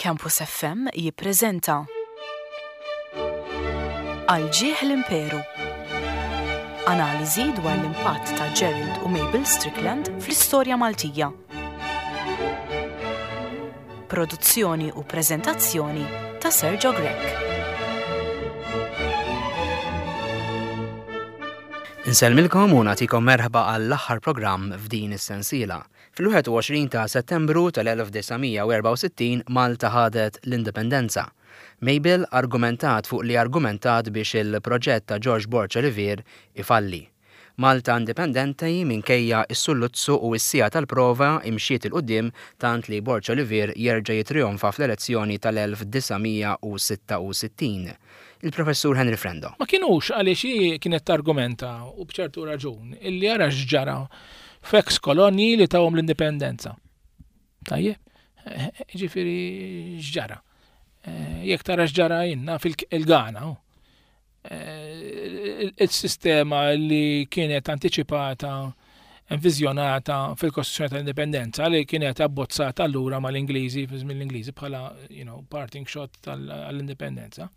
Campus FM jippreżenta Għal ġieħ l-Imperu. Analiżi dwar l-impatt ta' Gerald u Mabel Strickland fl-istorja Maltija. Produzzjoni u preżentazzjoni ta' Sergio Grech. Insellmilkom u nagħtikom merħba għall-aħħar programm f'din is-sensiela. Fil-21 ta' Settembru tal-1964 Malta ħadet l-Indipendenza. Mabel argumentat fuq li argumentat biex il-proġett ta' Ġorġ Borg Olivier ifalli. Malta indipendenti minkejja s-sulluzzu u s-siegħa tal-prova imxiet 'il quddiem tant li Borg Olivier jerġa' jittrijonfa fl-elezzjoni tal-1966. Il-Professur Henry Frendo. Ma kinux għaliex hi kienet targumenta, u b'ċertu raġun, illi ara x'ġara f'ex kolonji li tawhom l-indipendenza. Tajjeb? Ġifieri x'ġara? Jekk tara x'ġara jinna fil-Ghana, il-sistema li kienet antiċipata enviżjonata fil-Kostituzzjoni tal-Indipendenza li kienet abbozzata allura mal-Ingliżi, fi żmien l-Ingliżi bħala, you know, parting shot tal-indipendenza.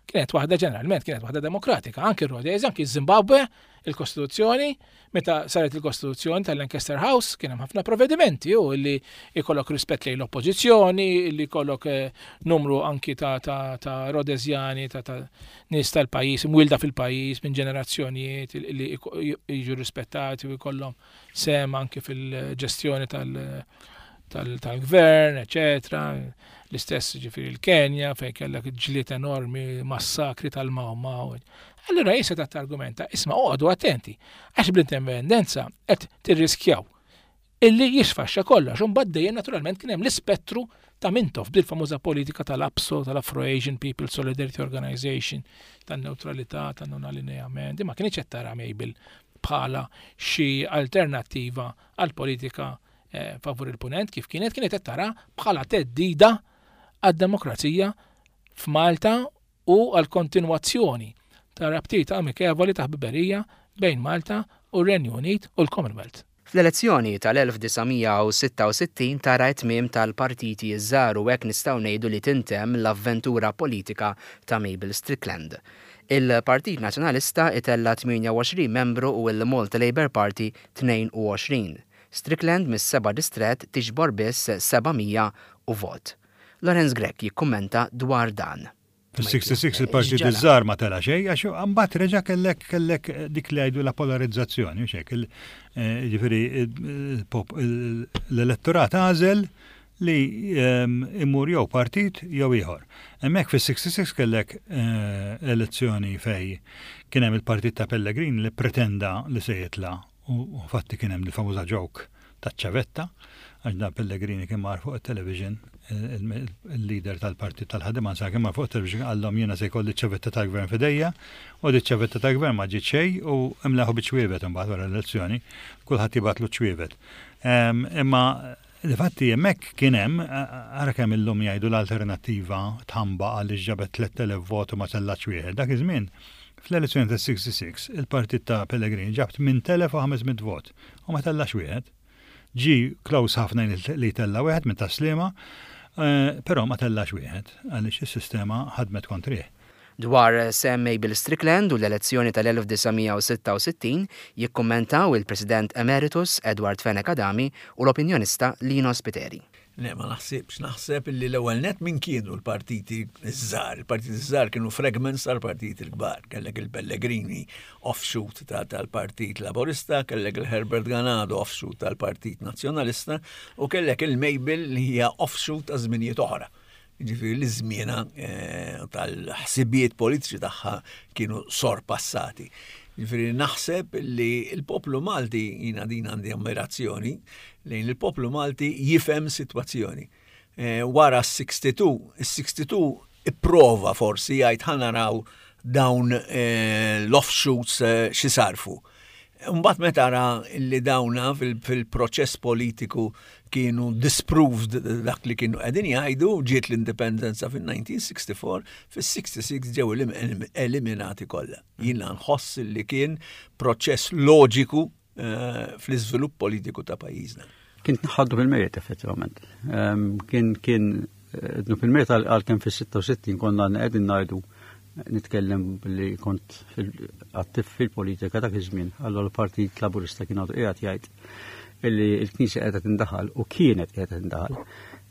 Kienet waħda ġeneralment, kienet waħda demokratika, anki r-Rhodesia, anki Zimbabwe, il-Kostituzzjoni, meta saret il-Kostituzzjoni tal-Lancaster House, kien hemm ħafna provvedimenti u li jkollok rispett lejn l-oppożizzjoni, li jkollok eh, numru anki ta', ta, ta Rhodesiani, ta', ta nies tal-pajjiż, imwielda fil-pajjiż minn ġenerazzjonijiet li jiġu rispettati u jkollhom sehem anki fil-ġestjoni tal-gvern, eċetera. L-istess ġifieri l-Kenja fejn kellek ġlied enormi, massakri tal-Mau Mau. Allura hi setgħet targumenta, isma' oqogħdu attenti, għax bl-indipendenza qed tirriskjaw illi jisfaxxa kollox. U mbagħad dejjem naturalment kien hemm l-ispettru ta' Mintoff bil-famuża politika tal-APSO, tal-Afro-Asian People Solidarity Organization, tan-neutralità, tan-non-allineament, ma kienx qed tara Mabel bħala xi alternattiva għal politika eh, favur il-punent kif kienet kienet qed tara bħala theddida għad-demokrazija f'Malta u għal kontinwazzjoni ta' rabtiet amikevoli ta' ħbiberija bejn Malta u r-Renju Unit u l-Commonwealth. Fl-elezzjoni tal-1966 tara t-tmiem tal-partiti ż-żgħar u hekk nistgħu ngħidu li tintemm l-avventura politika ta' Mabel Strickland. Il-Partit Nazzjonalista itella' 28 membru u l-Malta Labour Party 22. Strickland mis-seba' distrett tiġbor biss 700 u vot. Lawrence Grech jikkummenta dwar dan. Fis-66 il-partit iż-żgħar ma tela' xejn għax imbagħad reġa' kellek kellek dik li jgħidu la polarizzazzjoni u xek. Eh, ġifieri l-elettorat għażel li ehm, imur jew partit jew ieħor. Hemmhekk fis-66 kellek eh, elezzjoni fej kien hemm il-partit ta' Pellegrini li pretenda li se jitla' U fatti kien hemm il-famuża joke taċ-ċavetta, għax dan Pellegrini kien mar fuq it-television, il-leader tal-partit tal-ħaddiema anzi kien mar fuq it-television qallhom jiena se jkolli ċ-ċavetta tal-gvern f'idejja, u di ċ-ċavetta tal-gvern ma ġiet xejn u imleħu biċ-ċwievet imbagħad wara l-elezzjoni, kulħadd jibgħatlu ċ-ċwievet. Imma Difatti hemmhekk kien hemm, ara kemm illum jgħidu l-Alternattiva tħambaq għaliex ġabet 3,000 vot u ma tellgħatx wieħed. Dak iż-żmien, fl-elezzjoni tas-66, il-partit ta' Pellegrini ġab 8,500 vot u ma tellax wieħed. Ġie close ħafna li jtella' wieħed minn Tas-Sliema, però ma tellax wieħed għaliex is-sistema ħadmet kontrih. Dwar sehem Mabel Strickland u l-elezzjoni tal-1966 jikkummentaw il-President Emeritus Edward Fenech Adami u l-opinjonista Lino Spiteri. Le, ma naħsibx. Naħseb illi l-ewwel nett min kienu l-partiti ż-żgħar. Il-partiti ż-żgħar kienu fragments tal-partiti l-kbar. Kellek il-Pellegrini offshoot tal-Partit Laburista, kellek il-Herbert Ganado offshoot tal-Partit Nazzjonalista u kellek il-Mabel li hija offshoot ta' żminijiet oħra. Jiġifieri li żmienha eh, tal-ħsibijiet politiċi tagħha kienu sorpassati. Jiġifieri naħseb li l-poplu Malti jiena din għandi ammirazzjoni lejn il-poplu Malti jifhem sitwazzjoni. Eh, wara s-62, is-62 ipprova forsi jgħid ħa naraw dawn eh, l-offshoots xi sarfu. Mbagħad meta ra li dawna fil-proċess politiku kienu disproved dak li kienu qegħdin jgħidu, ġiet l-indipendenza fil-1964, fis-66 ġew eliminati kollha. Jiena nħoss li kien proċess loġiku eh, fl-iżvilupp politiku ta' pajjiżna. Kien tnaħħaddu fil-mejjet effettivament. Ehm, kien kien Dnub il-mejjet għalkemm fis-66 konna qegħdin ngħidu nitkellem li kont attiv fil-politika dak iż-żmien, allura l-Partit Laburista kien għadu qiegħed jgħid illi l-Knisja qiegħda tindaħal u kienet qiegħda tindaħal.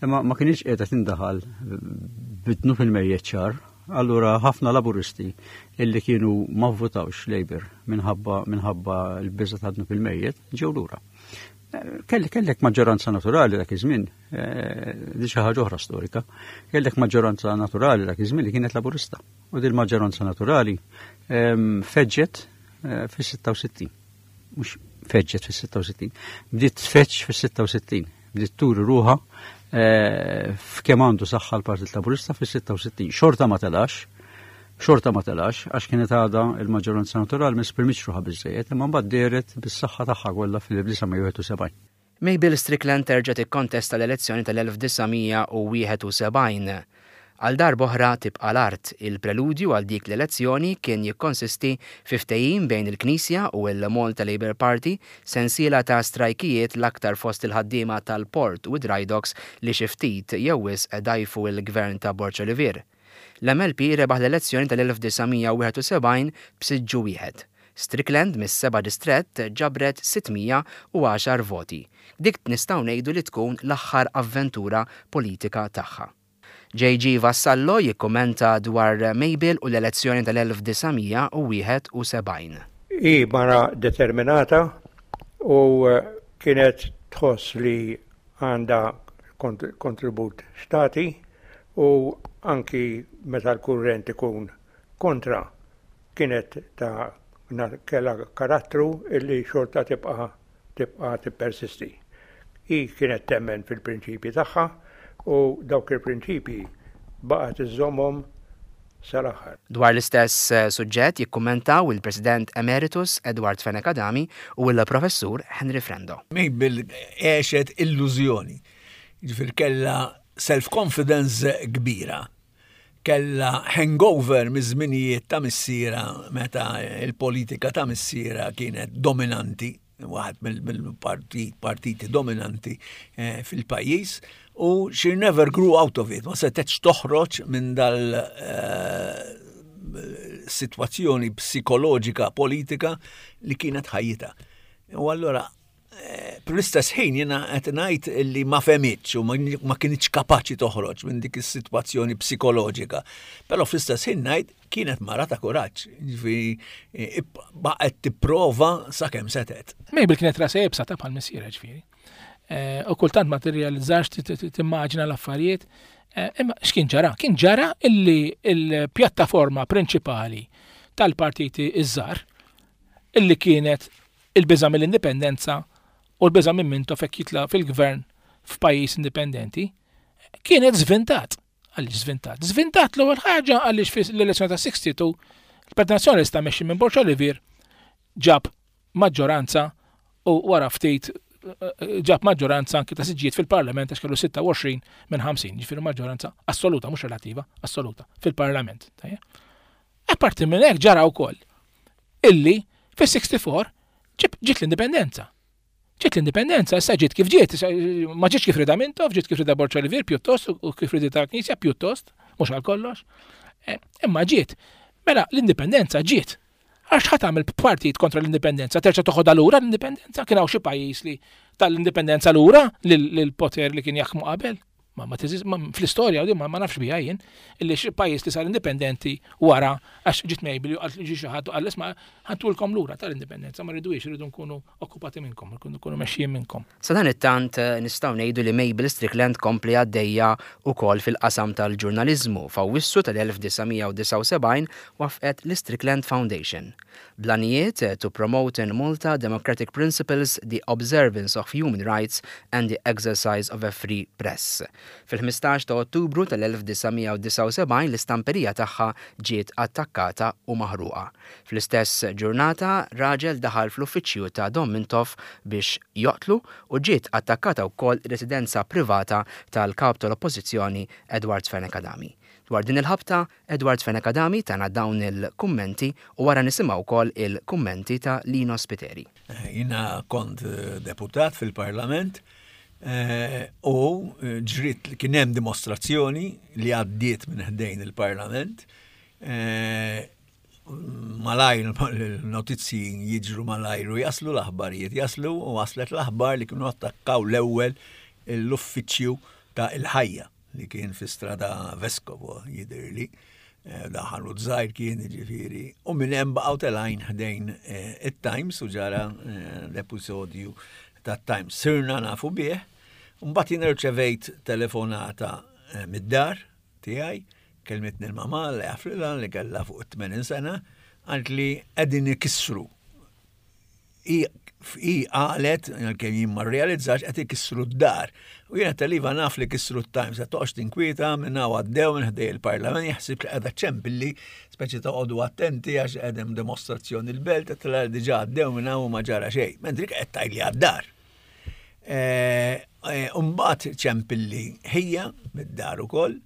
Imma ma kienx qiegħda tindaħal bidnu fil-mejjet ċar, allura ħafna Laburisti illi kienu ma vvotawx Labour minħabba minħabba l-biża ta' dnub il-mejjet ġew lura. Kellek maġġoranza naturali dak iż-żmien, eh, di xi ħaġa oħra storika, kellek maġġoranza naturali dak iż-żmien li kienet Laburista. U din maġġoranza naturali ehm, feġġet eh, fis-66. Mhux feġġet fis-66, bdiet tfeġġ fis-66, bdiet turi ruħha eh, f'kemm għandu saħħa l-Partit Laburista fis-66. Xorta ma telax, xorta ma telax, għax kienet għadha il-maġġoranza naturali ma esprimitx ruħha biżżejjed, imma mbagħad dehret bis-saħħa tagħha kollha fil-1971. Mabel Strickland terġa' tikkontesta l-elezzjoni tal-1971. Għal darba oħra tibqa' l-art. Il-preludju għal dik l-elezzjoni kien jikkonsisti fi ftehim bejn il-Knisja u l-Malta Labour Party, sensiela ta' strajkijiet l-aktar fost il-ħaddiema tal-port u d-dry docks li xi ftit jew wisq dgħajfu l-gvern ta' Borg Olivier. L-MLP rebaħ l-elezzjoni tal-1971 b'siġġu wieħed. Strickland mis-seba' distrett ġabret 610 voti. Dik nistgħu ngħidu li tkun l-aħħar avventura politika tagħha. JG Vassallo jikkummenta dwar Mabel u l-elezzjoni tal-1971. Hi mara determinata u kienet tħoss li għandha kontribut x'tagħti u anki meta l-kurrent ikun kontra kienet ta' kellha karattru illi xorta tibqa' tibqa' tippersisti. Hi kienet temmen fil-prinċipji tagħha u dawk il-prinċipji baqgħet iżżommhom sal-aħħar. Dwar l-istess suġġett jikkummentaw il-President Emeritus Edward Fenech Adami u l-Professur Henry Frendo. Mabel għexet illużjoni. Jiġifieri kellha self-confidence kbira. Kellha hangover miż-żminijiet ta' missierha meta l-politika ta' missierha kienet dominanti, waħed mill-partiti dominanti eh, fil-pajjiż u she never grew out of it, ma setgħetx toħroġ minn dal eh, situazzjoni psikoloġika politika li kienet ħajjita. U allora Fl-istess ħin jiena qed ngħid li ma fehmitx u ma kinitx kapaċi toħroġ minn dik is-sitwazzjoni psikoloġika. Però fl-istess ħin ngħid kienet mara ta' kuraġġ, jiġifieri eh, baqgħet tipprova sakemm setgħet. Mabel kienet rasa jebsa ta' bħal missiera ġifieri. Eh, u kultant ma tirrealizzax timmaġina l-affarijiet. Eh, imma x'kien ġara? Kien ġara illi l-pjattaforma prinċipali tal-partiti iż-żgħar illi kienet il-biża' mill-indipendenza u l-biża' minn Mintoff jekk jitla' fil-gvern f'pajjiż indipendenti, kienet żvintat. Għaliex żvintat? Żvintat l-ewwel ħaġa għaliex fl-elezzjoni ta' 62 il-Partit Nazzjonalista mexxi minn Borg Olivier ġab maġġoranza u wara ftit ġab maġġoranza anki ta' siġġijiet fil-Parlament għax kellu 26 minn 50, ġifieri maġġoranza assoluta, mhux relattiva, assoluta fil-Parlament. Apparti minn hekk ġara wkoll illi fis-64 ġiet l-indipendenza. Ġiet l-indipendenza, issa ġiet kif ġiet, ma ġietx kif rida Mintoff, ġiet kif rida Borg Olivier pjuttost u kif rida tal-Knisja pjuttost, mhux għal kollox. Eh, imma ġiet. Mela l-indipendenza ġiet. Għax ħa tagħmel partit kontra l-indipendenza, terġa' toħodha lura l-indipendenza, kien hawn xi pajjiż li tal-indipendenza lura lill-poter li kien jaħkmu qabel. Ma ma teżist, fl-istorja u ma nafx biha jien, illi xi pajjiż li sar indipendenti wara għax ġiet Mabel u qalt ġie xi ħadd u qal isma' ħantulkom lura tal-indipendenza ma rridux irridu nkunu okkupati minnkom, irridu nkunu mexxijin minnkom. Sadanittant nistgħu ngħidu li Mabel Strickland kompli għaddejja wkoll fil-qasam tal-ġurnaliżmu. F'Awwissu tal-1979 waffqet l-Strickland Foundation. Bl-għanijiet to promote in Malta democratic principles, the observance of human rights and the exercise of a free press. Fil-15 ta' Ottubru tal-1979 l-istamperija tagħha ġiet attakkata u maħruqa. Fl-istess ġurnata raġel daħal fl-uffiċċju ta' Dom Mintoff biex joqtlu u ġiet attakkata wkoll ir-residenza privata tal-Kap tal-Oppożizzjoni Edward Fenech Adami. Dwar din il-ħabta, Edward Fenech Adami tana dawn il-kummenti u wara nisimgħu wkoll il-kummenti ta' Lino Spiteri. Jiena kont deputat fil-Parlament. Eh, u eh, ġrit li kien hemm dimostrazzjoni li għaddiet minn ħdejn il-Parlament. Eh, malajr il-notizzi jiġru malajr u jaslu l-aħbarijiet jaslu u waslet l-aħbar li kienu attakkaw l-ewwel l-uffiċċju ta' il-ħajja li kien fi strada Vescovo jidhirli. Eh, da ħanut żgħir kien jiġifieri. U minn hemm baqgħu telgħin ħdejn eh, it-Times u ġara eh, l-episodju tat-Times. Sirna nafu bih. Mbagħad jien irċevejt telefonata mid-dar tiegħi, kelmitni l-mama li għaflilha li kellha fuq 80 sena, għalt li qegħdin ikissru Hi qalet, għalkemm jien ma rrealizzax, qed ikissru d-dar. U jiena tal-iva naf li kissru t-Times, qed toqgħodx tinkwieta minn hawn għaddew minn ħdej il-Parlament, jaħsib li qiegħda ċempilli, speċi toqgħodu attenti għax qed hemm dimostrazzjoni l-belt, qed tara diġà għaddew minn hawn u ma ġara xejn. Mentri qed tgħidli għad-dar. Umbagħad ċempilli ħija mid-dar ukoll,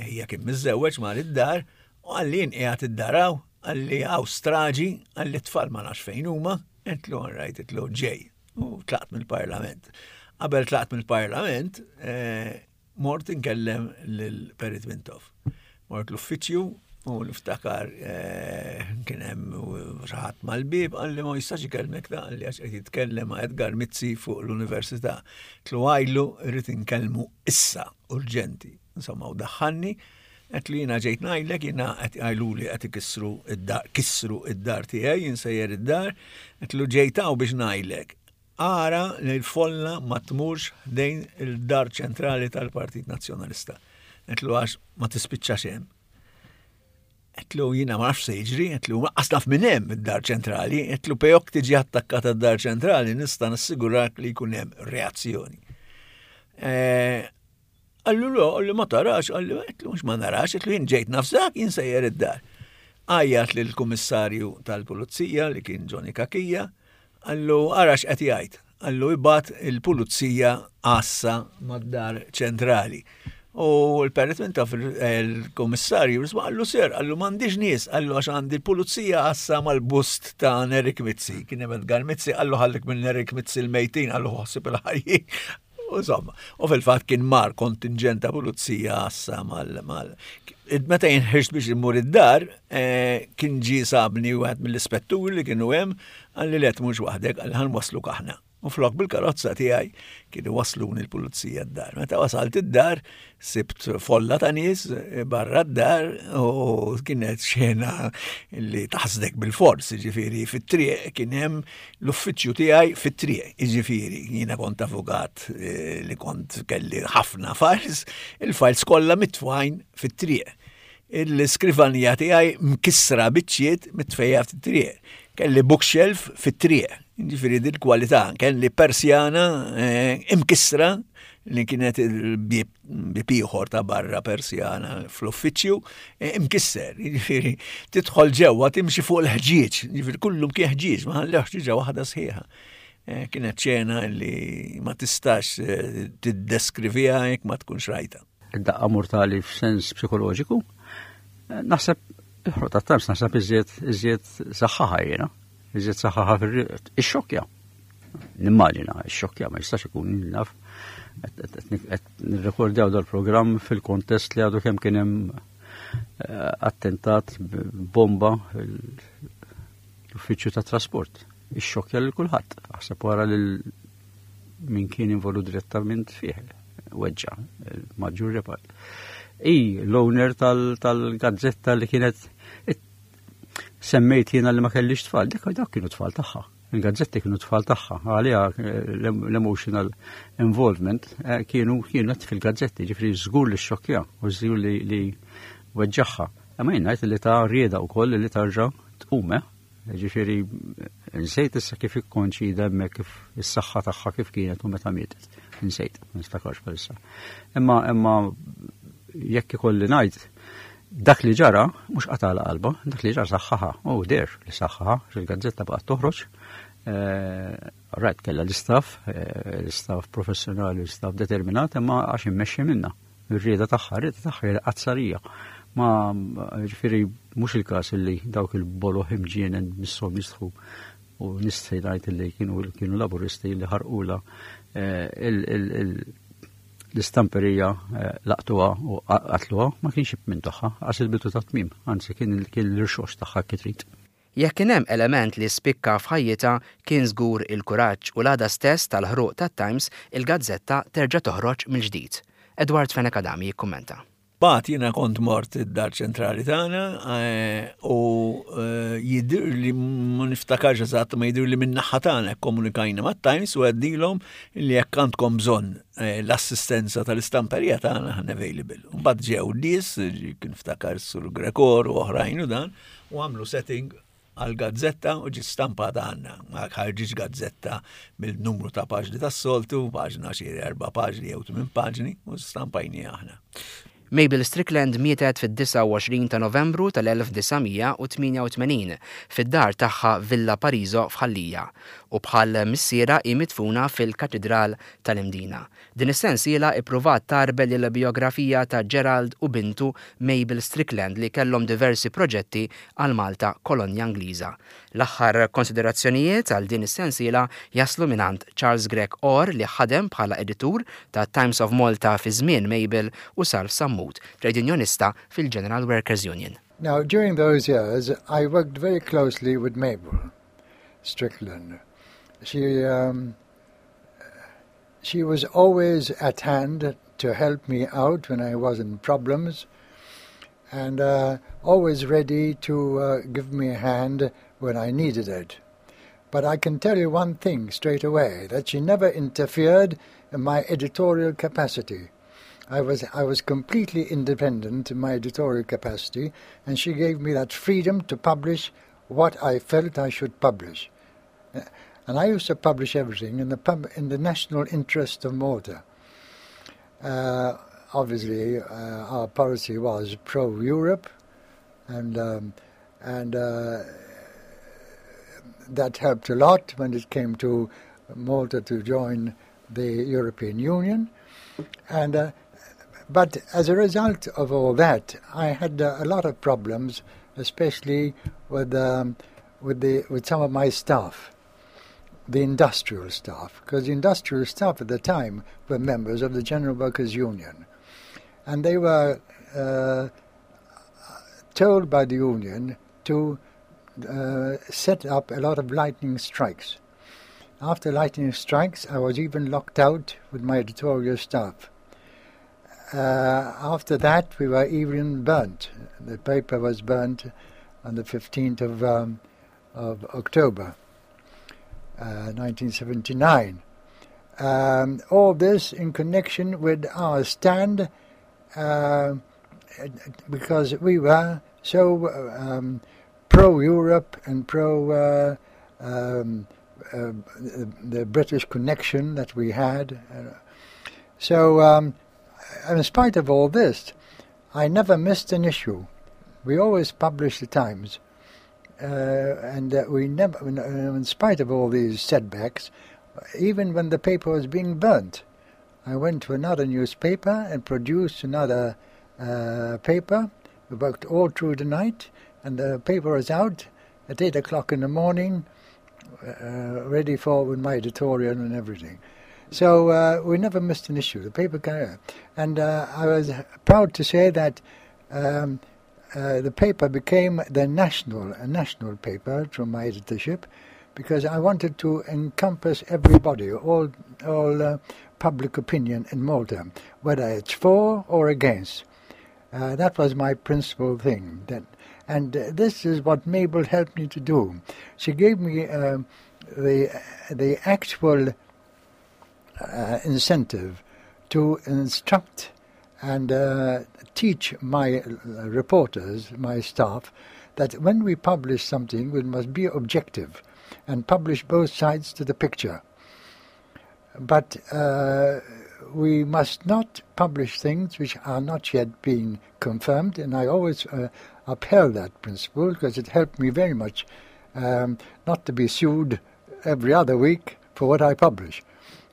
ħija kien miżżewweġ mar id-dar, U qalli jien qiegħed id-dar hawn, qalli hawn straġi, qalli t-tfal ma nafx fejn huma, għedtlu all right, għedtlu ġej. U tlaqt mill-parlament. Qabel tlaqt mill-parlament, eh, mort inkellem lil Perit Mintoff. Mort l-uffiċċju u niftakar eh, kien hemm xi ħadd mal-bieb qalli ma jistax ikellmek ta' qalli għax qed jitkellem ma' Edgar Mizzi fuq l-università. Tlu għajlu rrid inkellmu issa urġenti. Insomma, u daħħalni, għedt li jiena ġejt ngħidlek, jiena qed jgħiduli qed ikissru id-dar, kissru id-dar tiegħi, jien sejjer id-dar, għedtlu ġejt hawn biex ngħidlek. Ara li l-folla ma tmurx ħdejn il-dar ċentrali tal-Partit Nazzjonalista. Għedtlu għax ma tispiċċax hemm. Għedtlu jiena ma nafx se jiġri, għedtlu lanqas naf minn hemm id-dar ċentrali, għedtlu pejok tiġi attakkata d-dar ċentrali nista' nassigurak li jkun hemm reazzjoni. Eh, Qallu le, qalli ma tarax, qalli għedtlu mhux ma narax, għedtlu jien ġejt nafżak, jien sejjer id-dar. Għajjat lill-kummissarju tal-pulizija li kien Johnny Cachia, qallu ara x'qed jgħid, qallu ibgħat il-pulizija għassa mad-dar ċentrali. U l-perit minn taf il-kummissarju risma qallu sir, qallu m'għandix nies, qallu għax għandi l-pulizija għassa mal-bust ta' Nerik Mizzi. Kien hemm Edgar Mizzi, qallu ħallik minn Nerik Mizzi l-mejtin, qallu ħossib il-ħajjin. Insomma, u fil-fatt kien mar kontingent ta' pulizija għassa mal mal. Meta jien ħriġt biex immur id-dar, eh, kien ġie sabni wieħed mill-ispetturi li kienu hemm, qalli le tmurx waħdek, qalli ħa nwasluk aħna. U flok bil-karozza tiegħi kienu wasluni l-pulizija d-dar. Meta wasalt id-dar, sibt folla ta' nies eh, barra d-dar u kienet xena li taħsdek bil-fors, ġifieri fit-triq kien hemm l-uffiċċju tiegħi fit-triq, jiġifieri jiena kont avukat eh, li kont kelli ħafna files, il-files kollha mitfajn fit-triq. Il-skrivanija tiegħi mkissra biċċiet mitfejja fit-triq. Kelli bookshelf fit-triq, jiġifieri din kwalità, kelli persjana eh, imkissra li kienet il-bib bib ieħor ta' barra persjana fl-uffiċċju e, imkisser, jiġifieri tidħol ġewwa timxi fuq il-ħġieġ, jiġifieri kullum kien ħġieġ, ma ħallew ħġieġa waħda sħiħa. E, kienet ċena li ma tistax e, tiddeskriviha jekk ma tkunx rajta. Id-daqqa mortali f'sens psikoloġiku, naħseb il-ħruq tat-Times naħseb iżjed iżjed saħħaħa jiena, iżjed saħħaħa fil-xokja. Nimmaġina, xokja ma jistax ikun naf. Qed nirrekordjaw dal-programm fil-kontest li għadu kemm kien hemm eh, attentat bomba l-uffiċċju ta' trasport. Ixxokkja lil kulħadd. Aħseb wara lil min kien involut direttament fih, weġġa, il-maġġur repart. I l-owner tal-gazzetta li kienet semmejt jiena li ma kellix tfal, dik dak kienu tfal tagħha. Il-gazzetti kienu tfal tagħha, għaliha l-emotional involvement eh, kienu kienet fil-gazzetti, ġifri żgur li xokja u żgur li, li weġġaħħa. Imma jien ngħid li ta' rieda wkoll li tarġa' tqum, eh? Ġifieri nsejt issa kif ikkonċida hemmhekk kif is-saħħa tagħha kif kienet u meta mietet. Nsejt, ma niftakarx bħalissa. Imma imma jekk ikolli ngħid dak li ġara mhux qatala qalba, dak li ġara saħħaħa, u der li saħħaħa, il-gazzetta baqgħet toħroġ. Eh, rajt kellha l-istaff, eh, l-istaff professjonali, l-istaff determinat, imma għax immexxi minna. Ir-rieda tagħha, ir-rieda tagħha hija qazzarija. Ma ġifieri mhux il-każ illi dawk il-boloh imġienen misshom jistħu u nistħi ngħid illi kienu kienu laburisti li ħarqula eh, l-istamperija eh, laqtuha u qatluha ma kienx minn tagħha għax il-bidu ta' tmiem, anzi kien l-irxox tagħha kitrit. Jekk kien hemm element li spikka f'ħajjitha kien żgur il-kuraġġ u l-għada stess tal-ħruq tat-Times il-gazzetta terġa' toħroġ mill-ġdid. Edward Fenech Adami jikkummenta. Mbagħad jiena kont mort id-dar ċentrali tagħna eh, u eh, jidhirli ma niftakarx eżatt ma jidhirli minn naħa tagħna kkomunikajna mat-Times u għednilhom li jekk għandkom bżonn eh, l-assistenza tal-istamperija tagħna aħna available. Mbagħad ġew nies, kien ftakar sur Grekor u oħrajn u dan, u għamlu setting għal gazzetta u ġiet stampata għandna. Ma ħarġitx gazzetta mill-numru ta' paġni tas-soltu, paġna xi erba' paġni jew tmien paġni, u stampajni aħna. Mabel Strickland mietet fid-29 ta' Novembru tal-1988 fid-dar tagħha Villa Pariso f'Ħal Lija u bħal missierha hi midfuna fil-Katidral tal-Imdina. Din is-sensiela ippruvat tgħarbel il-bijografija ta' Gerald u bintu Mabel Strickland li kellhom diversi proġetti għal Malta kolonja Ingliża. L-aħħar konsiderazzjonijiet għal din is-sensiela jaslu mingħand Charles Grech Orr li ħadem bħala editur ta' Times of Malta fi żmien Mabel u Salv Sammut, trejdunjonista fil-General Workers' Union. Now, during those years, I worked very closely with Mabel Strickland. She, um, She was always at hand to help me out when I was in problems and uh, always ready to uh, give me a hand when I needed it. But I can tell you one thing straight away that she never interfered in my editorial capacity. I was, I was completely independent in my editorial capacity, and she gave me that freedom to publish what I felt I should publish. And I used to publish everything in the, pub, in the national interest of Malta. Uh, obviously, uh, our policy was pro-Europe, and, um, and uh, that helped a lot when it came to Malta to join the European Union. And, uh, but as a result of all that, I had uh, a lot of problems, especially with, um, with, the, with some of my staff, the industrial staff, because the industrial staff at the time were members of the General Workers' Union. And they were uh, told by the union to uh, set up a lot of lightning strikes. After lightning strikes, I was even locked out with my editorial staff. Uh, after that, we were even burnt. The paper was burnt on the 15th of, um, of October, uh, 1979. Um, all this in connection with our stand, uh, because we were so um, pro-Europe and pro uh, um, uh, the British connection that we had. So, um, in spite of all this, I never missed an issue. We always published the Times. Uh, and uh, we never, uh, in spite of all these setbacks, even when the paper was being burnt, I went to another newspaper and produced another uh, paper. We worked all through the night, and the paper was out at 8 o'clock in the morning, uh, ready for with my editorial and everything. So uh, we never missed an issue, the paper carrier. And uh, I was proud to say that um, uh, the paper became the national, a national paper through my editorship, because I wanted to encompass everybody, all, all uh, public opinion in Malta, whether it's for or against. Uh, that was my principal thing. That, and uh, this is what Mabel helped me to do. She gave me uh, the, the actual uh, incentive to instruct and uh, teach my reporters, my staff, that when we publish something, we must be objective and publish both sides to the picture. But uh, we must not publish things which are not yet being confirmed, and I always uh, upheld that principle because it helped me very much um, not to be sued every other week for what I publish.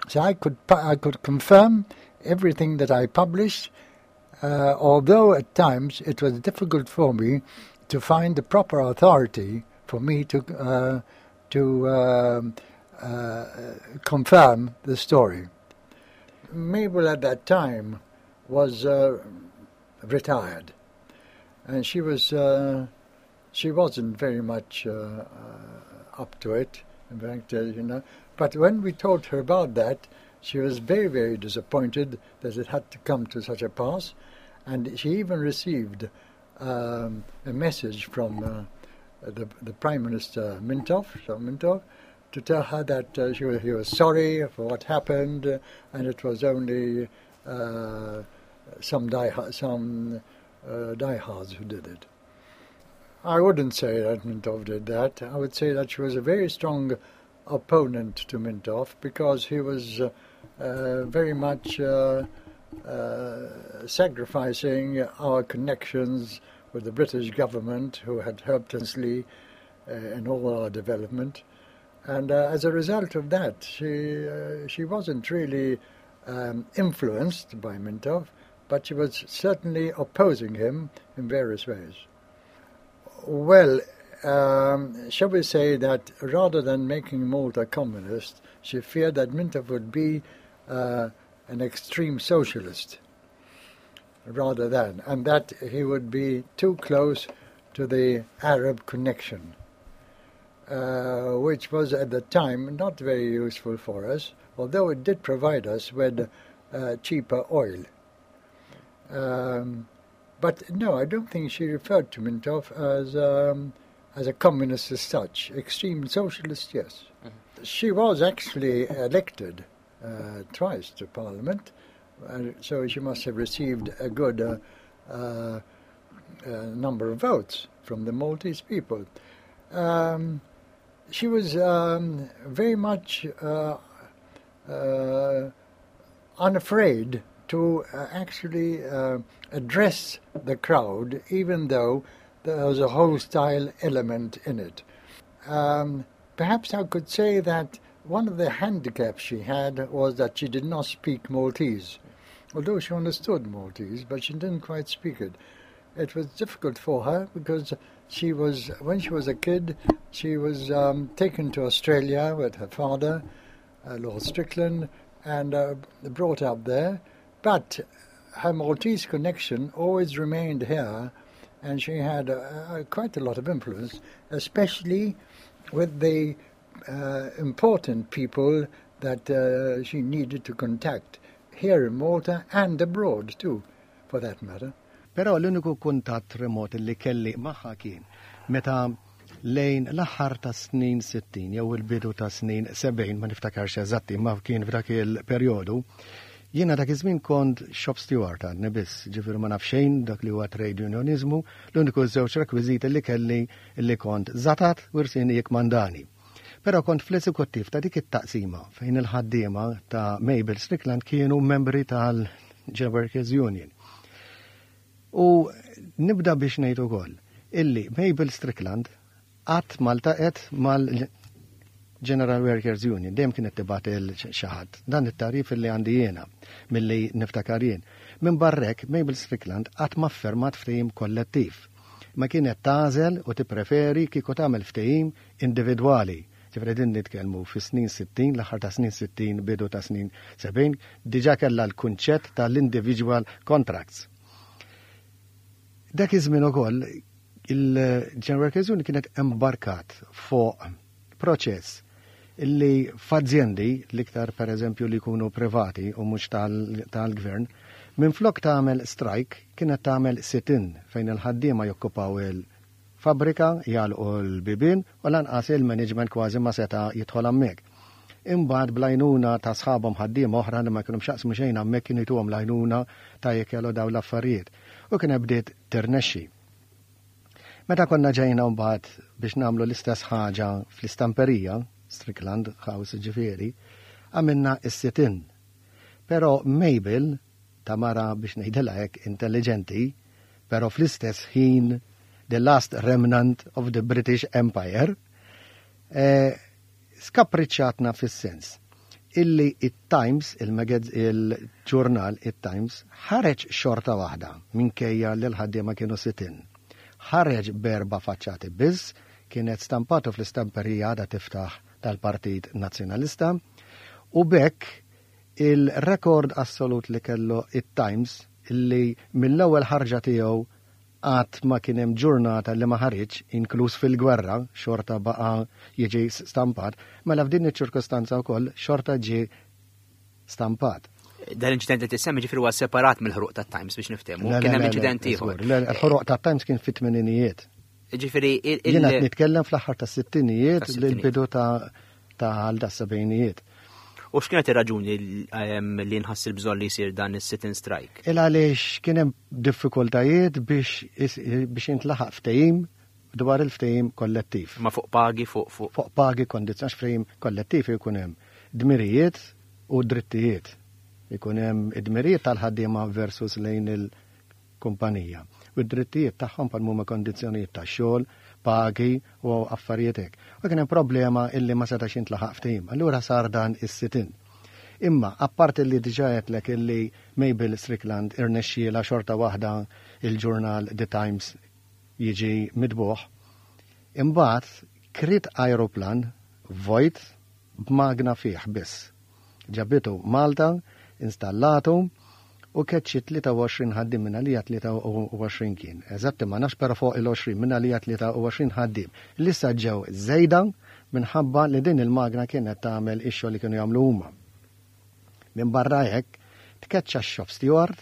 So I could, I could confirm everything that I published, uh, although at times it was difficult for me to find the proper authority for me to, uh, to uh, confirm the story. Mabel at that time was retired, and she was she wasn't very much up to it. In fact, you know. But when we told her about that, she was very, very disappointed that it had to come to such a pass, and she even received a message from the, the Prime Minister Mintoff, so Mintoff, to tell her that she was, he was sorry for what happened, and it was only some die some diehards who did it. I wouldn't say that Mintoff did that. I would say that she was a very strong opponent to Mintoff because he was very much sacrificing our connections with the British government, who had helped us in all our development. And as a result of that, she, she wasn't really influenced by Mintoff, but she was certainly opposing him in various ways. Well, shall we say that rather than making Malta communist, she feared that Mintoff would be an extreme socialist rather than, and that he would be too close to the Arab connection, which was at the time not very useful for us, although it did provide us with cheaper oil. But no, I don't think she referred to Mintoff as, as a communist as such. Extreme socialist, yes. She was actually elected twice to Parliament, so she must have received a good number of votes from the Maltese people. She was very much unafraid to actually address the crowd, even though there was a hostile element in it. Perhaps I could say that one of the handicaps she had was that she did not speak Maltese. Although she understood Maltese, but she didn't quite speak it. It was difficult for her because she was, when she was a kid, she was taken to Australia with her father, Lord Strickland, and brought up there. But her Maltese connection always remained here, and she had quite a lot of influence, especially with the important people that she needed to contact here in Malta and abroad too, for that matter. Però l-uniku kuntatt remot li kelli magħha kien meta lejn l-aħħar ta' snin 60 jew il-bidu ta' snin 70 ma niftakarx eżatti ma kien f'dak il-perjodu. Jiena dak iż-żmien kont shop steward għadni biss, ġifieri ma naf xejn dak li huwa trade unionizmu, l-uniku żewġ rekwiżiti li kelli li kont żatat u rsini jikmandani. Però kont fl-eżekuttiv ta' dik it-taqsima fejn il-ħaddiema ta' Mabel Strickland kienu membri tal-General Workers Union. U nibda biex ngħid ukoll illi Mabel Strickland qatt ma ltaqgħet mal-General Workers Union, dejjem kienet tibgħat lil xi ħadd. Dan it-tagħrif illi għandi jiena milli niftakar jien. Minn barrek Mabel Strickland qatt ma ffirmat ftehim kollettiv. Ma kienet tagħżel u tippreferi kieku tagħmel ftehim individwali. Ġifieri din nitkellmu fi snin 60, l-aħħar ta' snin 60, bidu ta' snin 70, diġà kellha l-kunċett tal-individual contracts. Dak iż-żmien ukoll il-General Workers Union kienet embarkat fuq proċess illi f'azjendi l-iktar per eżempju li jkunu privati u mhux tal-gvern, minn flok tagħmel strike kienet tagħmel sit-in fejn il-ħaddiema jokkupaw il-fabrika, jagħlqu l-bibien u lanqas il-management kważi ma seta' jidħol hemmhekk. Imbagħad bl-għajnuna ta' sħabhom ħaddiema oħra li ma kienu x'jaqsmu xejn hemmhekk kienu jtuhom l-għajnuna ta' jekk jagħmlu dawn l-affarijiet. U kien bdiet tirnexxi. Meta konna ġejna mbagħad biex nagħmlu l-istess ħaġa fl-istamperija, Strickland House ġifieri, għamilna is-sit-in. Però Mabel, ta' mara biex ngħidilha hekk intelligenti, però fl-istess ħin the last remnant of the British Empire, skapriċċatna fis-sens illi it-Times, il-ġurnal it-Times, ħareġ xorta waħda minkejja li l-ħaddiema kienu sit-in. Ħareġ b'erba' faċċati biss, kienet stampatu fl-istamperija għada tiftaħ. tal-Partit Nazzjonalista u b'hekk il-rekord assolut li kellu it-Times li mill-ewwel ħarġa tiegħu qatt ma kien hemm ġurnata li ma ħariġx, inkluż fil-gwerra, xorta baqa' jiġi stampat, mela f'din iċ-ċirkustanza wkoll xorta ġie stampat. Dan l-inċident li tissemmi ġifieri huwa separat mill-ħruq tat-Times biex niftehmu. Kien hemm inċident ieħor. Il-ħruq tat-Times kien fit-tmeninijiet. Ġifieri Jiena qed nitkellem fl-aħħar tas-sittinijiet l-bidu ta' għal da sebgħinijiet. U x'kienet ir-raġuni ehm, li nħass il-bżonn li jsir dan is-sit-in strike? Il għaliex kien hemm diffikultajiet biex biex jintlaħaq ftehim dwar il-ftehim kollettiv. Ma fuq pagi fuq fuq. Fuq pagi kondizzjoni ftehim kollettiv ikun hemm dmirijiet u drittijiet. Ikun hemm id-dmirijiet tal-ħaddiema versus lejn il- kumpanija u d-drittijiet tagħhom bħal huma kondizzjonijiet ta' xogħol, pagi u affarijiet hekk. U kien hemm problema illi ma setax jintlaħaq ftehim. Allura sar dan is-sit-in. Imma apparti li diġà għedtlek illi Mabel Strickland irnexxielha xorta waħda il-ġurnal The Times jiġi mitbugħ, imbagħad kriet ajruplan vojt b'magna fih biss. Ġabitu Malta, installatu u keċċiet 23 ħaddiem minn għalija 23 kien. Eżatti ma nafx però fuq il-20 minn għalija 23 ħaddiem li issa ġew żejda minħabba li din il-magna kienet tagħmel ix-xogħol li kienu jagħmlu huma. Minn barra hekk, tkeċċa x-shop steward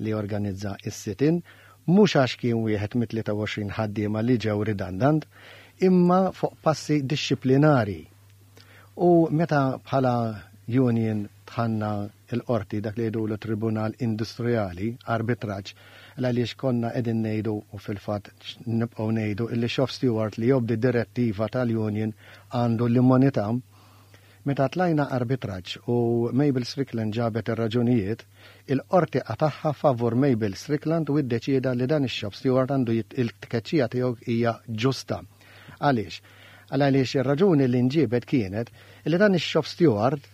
li organizza s-sit-in mhux għax kien wieħed mit-23 ħaddiema li ġew redundant, imma fuq passi dixxiplinari U meta bħala union dħalna l-qorti, dak li jgħidulu tribunal industrijali, arbitraġġ, l-għaliex konna qegħdin ngħidu u fil-fatt nibqgħu ngħidu illi shop steward li jobdi direttiva tal-union għandu l-immunità, meta tlajna arbitraġġ u Mabel Strickland ġabet ir-raġunijiet, il-qorti qatagħha favur Mabel Strickland u iddeċieda li dan ix-shop steward għandu il-tkeċċija tiegħu hija ġusta. Għaliex? Għal għaliex ir-raġuni li nġiebet kienet li dan ix-shop steward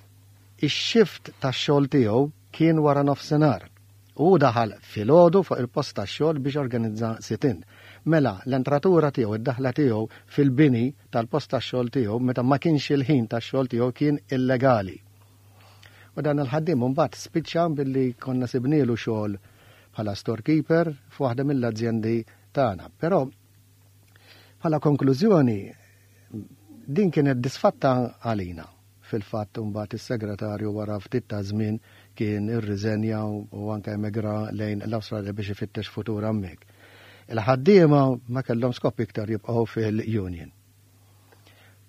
ix-shift tax-xogħol tiegħu kien wara nofsinhar. U hu daħal filgħodu fuq il-post tax-xogħol biex jorganizza sit-in. Mela, l-entratura tiegħu, id-daħla tiegħu fil-bini tal-post tax-xogħol tiegħu meta ma kienx il-ħin tax-xogħol tiegħu kien illegali. U dan il-ħaddiem imbagħad spiċċa billi konna sibnielu xogħol bħala storekeeper f'waħda mill-azjendi tagħna. Però Bħala konklużjoni, din kienet disfatta għalina. Fil-fatt imbagħad is-segretarju wara ftit ta' żmien kien irriżenja u anke emigra lejn l-Awstralja biex ifittex futur hemmhekk. Il-ħaddiema ma kellhom skop iktar jibqgħu fil-union.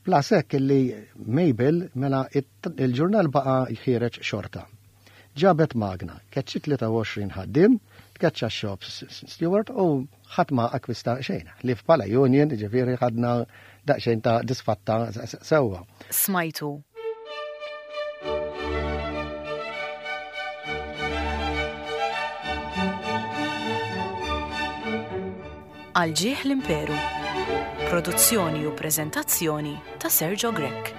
Plus hekk illi Mabel mela il-ġurnal baqa' ħiereġ xorta. Ġabet magna, keċċiet 23 ħaddiem, tkeċċa x-shop steward u ħadd ma akkwista xejn. Ħlief bħala union, ġifieri ħadna daqsxejn ta' disfatta sewwa. Smajtu. Għal ġieħ l-Imperu. Produzzjoni u preżentazzjoni ta' Sergio Grech.